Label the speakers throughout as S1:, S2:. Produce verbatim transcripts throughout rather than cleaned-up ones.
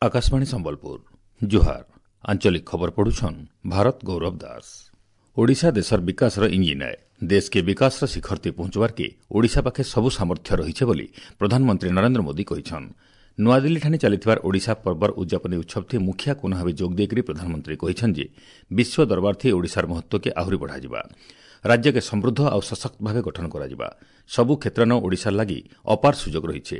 S1: ଆକାଶବାଣୀ ସମ୍ବଲପୁର ଜୁହାର ଆଞ୍ଚଳିକ ଖବର ପଢୁଛନ୍ ଭାରତ ଗୌରବ ଦାସ ଓଡ଼ିଶା ଦେଶର ବିକାଶର ଇଞ୍ଜିନ୍ ଆଏ ଦେଶକେ ବିକାଶର ଶିଖରତେ ପହଞ୍ଚବାର୍କେ ଓଡ଼ିଶା ପାଖେ ସବୁ ସାମର୍ଥ୍ୟ ରହିଛେ ବୋଲି ପ୍ରଧାନମନ୍ତ୍ରୀ ନରେନ୍ଦ୍ର ମୋଦି କହିଛନ୍ ନୂଆଦିଲ୍ଲୀଠାନେ ଚାଲିଥିବାର ଓଡ଼ିଶା ପର୍ବର ଉଦ୍ଯାପନୀ ଉତ୍ସବଥି ମୁଖିଆ କୁନା ଭାବେ ଯୋଗ ଦେଇକରି ପ୍ରଧାନମନ୍ତ୍ରୀ କହିଛନ୍ ଯେ ବିଶ୍ୱ ଦରବାରଥି ଓଡ଼ିଶାର ମହତ୍ତ୍ୱକେ ଆହୁରି ବଢ଼ାଯିବା ରାଜ୍ୟକେ ସମୃଦ୍ଧ ଆଉ ସଶକ୍ତ ଭାବେ ଗଠନ କରାଯିବା ସବୁ କ୍ଷେତ୍ରନ ଓଡ଼ିଶାର ଲାଗି ଅପାର ସୁଯୋଗ ରହିଛେ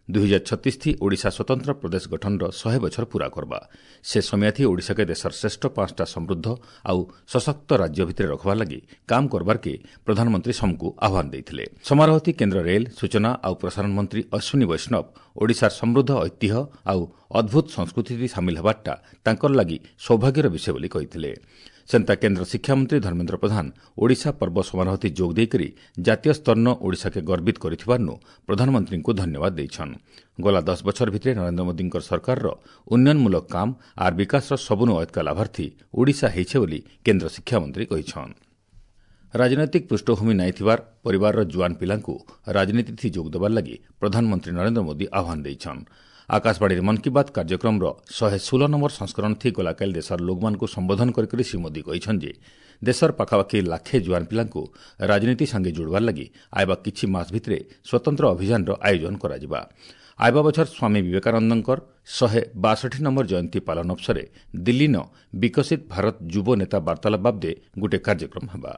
S1: ଦୁଇ ହଜାର ଛତିଶ ଥି ଓଡ଼ିଶା ସ୍ୱତନ୍ତ୍ର ପ୍ରଦେଶ ଗଠନର ଶହେ ବଛର ପୂରା କରବା ସେ ସମୟାଥି ଓଡ଼ିଶାକେ ଦେଶର ଶ୍ରେଷ୍ଠ ପାଞ୍ଚଟା ସମୃଦ୍ଧ ଆଉ ସଶକ୍ତ ରାଜ୍ୟ ଭିତରେ ରଖବାର୍ ଲାଗି କାମ କରବାର୍କେ ପ୍ରଧାନମନ୍ତ୍ରୀ ସମକୁ ଆହ୍ୱାନ ଦେଇଥିଲେ ସମାରୋହଥି କେନ୍ଦ୍ର ରେଲ୍ ସୂଚନା ଆଉ ପ୍ରସାରଣ ମନ୍ତ୍ରୀ ଅଶ୍ୱିନୀ ବୈଷ୍ଣବ ଓଡ଼ିଶାର ସମୃଦ୍ଧ ଐତିହ୍ୟ ଆଉ ଅଦ୍ଭୁତ ସଂସ୍କୃତିଥି ସାମିଲ ହେବାରଟା ତାଙ୍କର ଲାଗି ସୌଭାଗ୍ୟର ବିଷୟ ବୋଲି କହିଥିଲେ ସେନ୍ତା କେନ୍ଦ୍ର ଶିକ୍ଷାମନ୍ତ୍ରୀ ଧର୍ମେନ୍ଦ୍ର ପ୍ରଧାନ ଓଡ଼ିଶା ପର୍ବ ସମାରୋହଥି ଯୋଗ ଦେଇକରି ଜାତୀୟ ସ୍ତରନ ଓଡ଼ିଶାକେ ଗର୍ବିତ କରିଥିବାର୍ନୁ ପ୍ରଧାନମନ୍ତ୍ରୀଙ୍କୁ ଧନ୍ୟବାଦ ଦେଇଛନ୍ ଗଲା ଦଶ ବଛର ଭିତରେ ନରେନ୍ଦ୍ର ମୋଦିଙ୍କ ସରକାରର ଉନ୍ନୟନମୂଳକ କାମ ଆର୍ ବିକାଶର ସବୁନୁ ଅୟତ୍କା ଲାଭାର୍ଥୀ ଓଡ଼ିଶା ହେଇଛେ ବୋଲି କେନ୍ଦ୍ର ଶିକ୍ଷାମନ୍ତ୍ରୀ କହିଛନ୍ ରାଜନୈତିକ ପୃଷ୍ଠଭୂମି ନାଇଁ ଥିବାର ପରିବାରର ଜୁଆନ୍ ପିଲାଙ୍କୁ ରାଜନୀତିଥି ଯୋଗ ଦେବାର ଲାଗି ପ୍ରଧାନମନ୍ତ୍ରୀ ନରେନ୍ଦ୍ର ମୋଦି ଆହ୍ୱାନ ଦେଇଛନ୍ ଆକାଶବାଣୀର ମନ୍ କି ବାତ୍ କାର୍ଯ୍ୟକ୍ରମର ଶହେ ଷୋହଳ ନମ୍ବର ସଂସ୍କରଣ ଥି ଗଲାକାଲି ଦେଶର ଲୋକମାନଙ୍କୁ ସମ୍ବୋଧନ କରିକରି ଶ୍ରୀ ମୋଦି କହିଛନ୍ ଯେ ଦେଶର ପାଖାପାଖି ଲାଖେ ଜୁଆନ୍ ପିଲାଙ୍କୁ ରାଜନୀତି ସାଙ୍ଗେ ଯୋଡ଼ବାର ଲାଗି ଆଇବା କିଛି ମାସ ଭିତରେ ସ୍ୱତନ୍ତ୍ର ଅଭିଯାନର ଆୟୋଜନ କରାଯିବା ଆଇବା ବଛର ସ୍ୱାମୀ ବିବେକାନନ୍ଦଙ୍କର ଶହେ ବାଷଠି ନମ୍ବର ଜୟନ୍ତୀ ପାଳନ ଅବସରେ ଦିଲ୍ଲୀନ ବିକଶିତ ଭାରତ ଯୁବ ନେତା ବାର୍ତ୍ତାଳାପ ବାବଦେ ଗୋଟିଏ କାର୍ଯ୍ୟକ୍ରମ ହେବା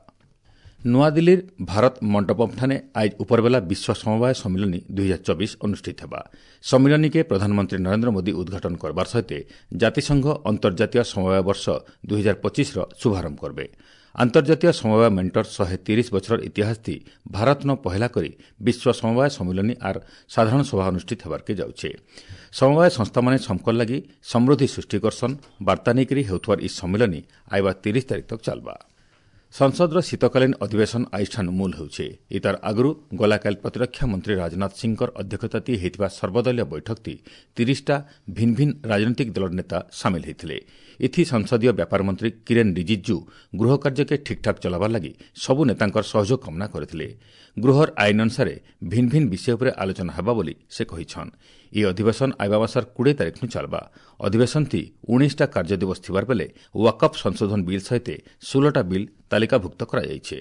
S1: ନୂଆଦିଲ୍ଲୀର ଭାରତ ମଣ୍ଡପମ୍ଠାନେ ଆଇଜ୍ ଉପରବେଲା ବିଶ୍ୱ ସମବାୟ ସମ୍ମିଳନୀ ଦୁଇ ହଜାର ଚବିଶ ଅନୁଷ୍ଠିତ ହେବା ସମ୍ମିଳନୀକେ ପ୍ରଧାନମନ୍ତ୍ରୀ ନରେନ୍ଦ୍ର ମୋଦି ଉଦ୍ଘାଟନ କରବାର ସହିତ ଜାତିସଂଘ ଅନ୍ତର୍ଜାତୀୟ ସମବାୟ ବର୍ଷ ଦୁଇ ହଜାର ପଚିଶର ଶୁଭାରମ୍ଭ କରବେ ଆନ୍ତର୍ଜାତୀୟ ସମବାୟ ମେଣ୍ଟର ଶହେ ତିରିଶ ବଛରର ଇତିହାସ ଥି ଭାରତନ ପହେଲା କରି ବିଶ୍ୱ ସମବାୟ ସମ୍ମିଳନୀ ଆର୍ ସାଧାରଣ ସଭା ଅନୁଷ୍ଠିତ ହେବାର୍କେ ଯାଉଛେ ସମବାୟ ସଂସ୍ଥାମାନେ ସମକର ଲାଗି ସମୃଦ୍ଧି ସୃଷ୍ଟି କରସନ୍ ବାର୍ତ୍ତା ନେଇକରି ହେଉଥିବାର ଇ ସମ୍ମିଳନୀ ଆଇବା ତିରିଶ ତାରିଖ ତକ୍ ଚାଲବା ସଂସଦର ଶୀତକାଳୀନ ଅଧିବେଶନ ଆଇଷ୍ଠାନ ମୂଲ ହେଉଛେ ଇତାର ଆଗରୁ ଗଲାକାଲି ପ୍ରତିରକ୍ଷା ମନ୍ତ୍ରୀ ରାଜନାଥ ସିଂହଙ୍କର ଅଧ୍ୟକ୍ଷତାତି ହୋଇଥିବା ସର୍ବଦଳୀୟ ବୈଠକତି ତିରିଶଟା ଭିନ୍ନ ଭିନ୍ନ ରାଜନୈତିକ ଦଳର ନେତା ସାମିଲ ହୋଇଥିଲେ ଏଥି ସଂସଦୀୟ ବ୍ୟାପାର ମନ୍ତ୍ରୀ କିରେନ୍ ରିଜିଜୁ ଗୃହ କାର୍ଯ୍ୟକେ ଠିକ୍ଠାକ୍ ଚଲାବାର ଲାଗି ସବୁ ନେତାଙ୍କର ସହଯୋଗ କାମନା କରିଥିଲେ ଗୃହର ଆଇନ ଅନୁସାରେ ଭିନ୍ନ ଭିନ୍ନ ବିଷୟ ଉପରେ ଆଲୋଚନା ହେବା ବୋଲି ସେ କହିଛନ୍ ଏହି ଅଧିବେଶନ ଆଇବା ମାସର କୋଡ଼ିଏ ତାରିଖନୁ ଚାଲବା ଅଧିବେଶନଥି ଉଣେଇଶଟା କାର୍ଯ୍ୟ ଦିବସ ଥିବାର ବେଲେ ୱାକଫ୍ ସଂଶୋଧନ ବିଲ୍ ସହିତ ଷୋହଳଟା ବିଲ୍ ତାଲିକାଭୁକ୍ତ କରାଯାଇଛି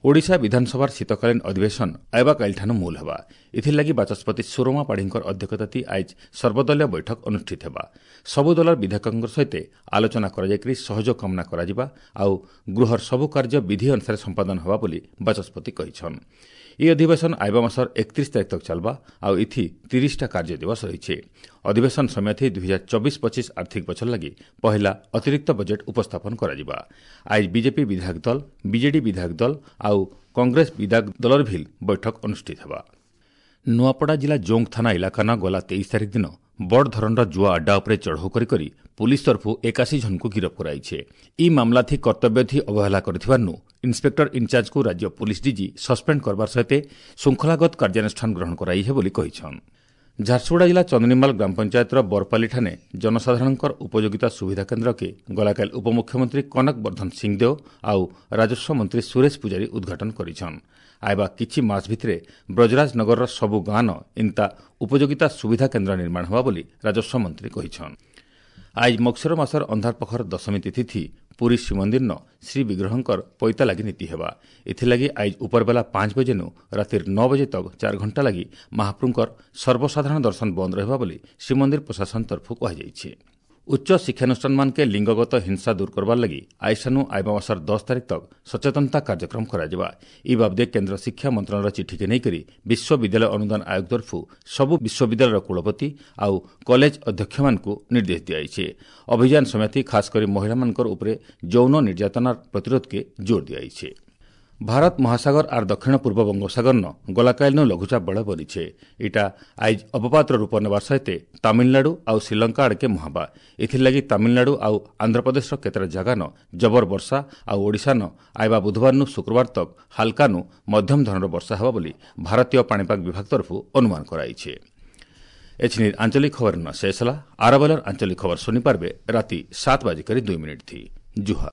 S1: ଓଡ଼ିଶା ବିଧାନସଭାର ଶୀତକାଳୀନ ଅଧିବେଶନ ଆଇବା କାଲିଠାନୁ ମୂଲ ହେବା ଏଥିର୍ଲାଗି ବାଚସ୍ପତି ସୁରମା ପାଢ଼ୀଙ୍କର ଅଧ୍ୟକ୍ଷତାତି ଆଇଜ୍ ସର୍ବଦଳୀୟ ବୈଠକ ଅନୁଷ୍ଠିତ ହେବା ସବୁ ଦଳର ବିଧାୟକଙ୍କ ସହିତ ଆଲୋଚନା କରାଯାଇକରି ସହଯୋଗ କାମନା କରାଯିବା ଆଉ ଗୃହର ସବୁ କାର୍ଯ୍ୟ ବିଧି ଅନୁସାରେ ସମ୍ପାଦନ ହେବା ବୋଲି ବାଚସ୍ପତି କହିଛନ୍ ଏହି ଅଧିବେଶନ ଆଇବା ମାସର ଏକତିରିଶ ତାରିଖ ତକ୍ ଚାଲବା ଆଉ ଏଥି ତିରିଶଟା କାର୍ଯ୍ୟ ଦିବସ ରହିଛି ଅଧିବେଶନ ସମୟଥି ଦୁଇ ହଜାର ଚବିଶ ପଚିଶ ଆର୍ଥିକ ବଛର ଲାଗି ପହିଲା ଅତିରିକ୍ତ ବଜେଟ୍ ଉପସ୍ଥାପନ କରାଯିବା ଆଇଜ୍ ବିଜେପି ବିଧାୟକ ଦଳ ବିଜେଡି ବିଧାୟକ ଦଳ ଆଉ କଂଗ୍ରେସ ବିଧାୟକ ଦଳର ଭିଲ୍ ବୈଠକ ଅନୁଷ୍ଠିତ ହେବା ନୂଆପଡ଼ା ଜିଲ୍ଲା ଜୋଙ୍ଗ ଥାନା ଇଲାକାନ ଗଲା ତେଇଶ ତାରିଖ ଦିନ ବଡ଼ ଧରଣର ଜୁଆ ଆଡ୍ଡା ଉପରେ ଚଢ଼ଉ କରି କରି ପୁଲିସ୍ ତରଫରୁ ଏକାଶୀ ଜଣଙ୍କୁ ଗିରଫ କରାଇଛେ ଇ ମାମଲାଥି କର୍ତ୍ତବ୍ୟଥି ଅବହେଳା କରିଥିବାରୁ ଇନ୍ସପେକ୍ଟର ଇନ୍ଚାର୍ଜକୁ ରାଜ୍ୟ ପୁଲିସ୍ ଡିଜି ସସ୍ପେଣ୍ଡ କରବାର ସହିତ ଶୃଙ୍ଖଳାଗତ କାର୍ଯ୍ୟାନୁଷ୍ଠାନ ଗ୍ରହଣ କରାଇଛେ ବୋଲି କହିଛନ୍ ଝାରସୁଗୁଡ଼ା ଜିଲ୍ଲା ଚନ୍ଦନୀମାଲ ଗ୍ରାମପଞ୍ଚାୟତର ବରପାଲିଠାନେ ଜନସାଧାରଣଙ୍କର ଉପଯୋଗିତା ସୁବିଧା କେନ୍ଦ୍ରକେ ଗଲାକାଲି ଉପମୁଖ୍ୟମନ୍ତ୍ରୀ କନକ ବର୍ଦ୍ଧନ ସିଂଦେଓ ଆଉ ରାଜସ୍ୱ ମନ୍ତ୍ରୀ ସୁରେଶ ପୂଜାରୀ ଉଦ୍ଘାଟନ କରିଛନ୍ ଆଇବା କିଛି ମାସ ଭିତରେ ବ୍ରଜରାଜନଗରର ସବୁ ଗାଁନ ଇନ୍ତା ଉପଯୋଗିତା ସୁବିଧା କେନ୍ଦ୍ର ନିର୍ମାଣ ହେବା ବୋଲି ରାଜସ୍ୱ ମନ୍ତ୍ରୀ କହିଛନ୍ ଆଇଜ୍ ମକ୍ସର ମାସର ଅନ୍ଧାର ପଖର ଦଶମୀ ତିଥି ପୁରୀ ଶ୍ରୀମନ୍ଦିରନ ଶ୍ରୀବିଗ୍ରହଙ୍କର ପଇତା ଲାଗି ନୀତି ହେବା ଏଥିଲାଗି ଆଇଜ୍ ଉପରବେଲା ପାଞ୍ଚ ବଜେନୁ ରାତିର ନଅ ବଜେ ତକ୍ ଚାରି ଘଣ୍ଟା ଲାଗି ମହାପ୍ରଭୁଙ୍କର ସର୍ବସାଧାରଣ ଦର୍ଶନ ବନ୍ଦ ରହିବା ବୋଲି ଶ୍ରୀମନ୍ଦିର ପ୍ରଶାସନ ତରଫରୁ କୁହାଯାଇଛି ଉଚ୍ଚ ଶିକ୍ଷାନୁଷ୍ଠାନମାନକେ ଲିଙ୍ଗଗତ ହିଂସା ଦୂର କରବାର ଲାଗି ଆଇସାନୁ ଆଇବା ମାସର ଦଶ ତାରିଖ ତକ୍ ସଚେତନତା କାର୍ଯ୍ୟକ୍ରମ କରାଯିବା ଇ ବାବଦେ କେନ୍ଦ୍ର ଶିକ୍ଷା ମନ୍ତ୍ରଣାଳୟର ଚିଠିକେ ନେଇକରି ବିଶ୍ୱବିଦ୍ୟାଳୟ ଅନୁଦାନ ଆୟୋଗ ତରଫରୁ ସବୁ ବିଶ୍ୱବିଦ୍ୟାଳୟର କୁଳପତି ଆଉ କଲେଜ ଅଧ୍ୟକ୍ଷମାନଙ୍କୁ ନିର୍ଦ୍ଦେଶ ଦିଆଯାଇଛି ଅଭିଯାନ ସମୟଥି ଖାସ୍ କରି ମହିଳାମାନଙ୍କର ଉପରେ ଯୌନ ନିର୍ଯାତନାର ପ୍ରତିରୋଧକେ ଜୋର ଦିଆଯାଇଛି ଭାରତ ମହାସାଗର ଆର୍ ଦକ୍ଷିଣ ପୂର୍ବ ବଙ୍ଗୋପସାଗରନ ଗଲାକାଲିନୁ ଲଘୁଚାପ ବଳ ବନିଛେ ଇଟା ଆଇଜ୍ ଅବପାତର ରୂପ ନେବାର ସହିତ ତାମିଲନାଡୁ ଆଉ ଶ୍ରୀଲଙ୍କା ଆଡ଼କେ ମୁହାଁବା ଏଥିର୍ଲାଗି ତାମିଲନାଡୁ ଆଉ ଆନ୍ଧ୍ରପ୍ରଦେଶର କେତେଟା ଜାଗାନ ଜବର ବର୍ଷା ଆଉ ଓଡ଼ିଶାନ ଆଇବା ବୁଧବାରନୁ ଶୁକ୍ରବାର ତକ୍ ହାଲକାନୁ ମଧ୍ୟମ ଧରଣର ବର୍ଷା ହେବା ବୋଲି ଭାରତୀୟ ପାଣିପାଗ ବିଭାଗ ତରଫରୁ ଅନୁମାନ କରାଯାଇଛି ଏଛିନି ଆଞ୍ଚଳିକ ଖବର ନ ଶେଷ ହେଲା ଆରବେଲର ଆଞ୍ଚଳିକ ଖବର ଶୁଣିପାରିବେ ରାତି ସାତ ବାଜିକରି ଦୁଇ ମିନିଟ୍ ଥି ଜୁହାର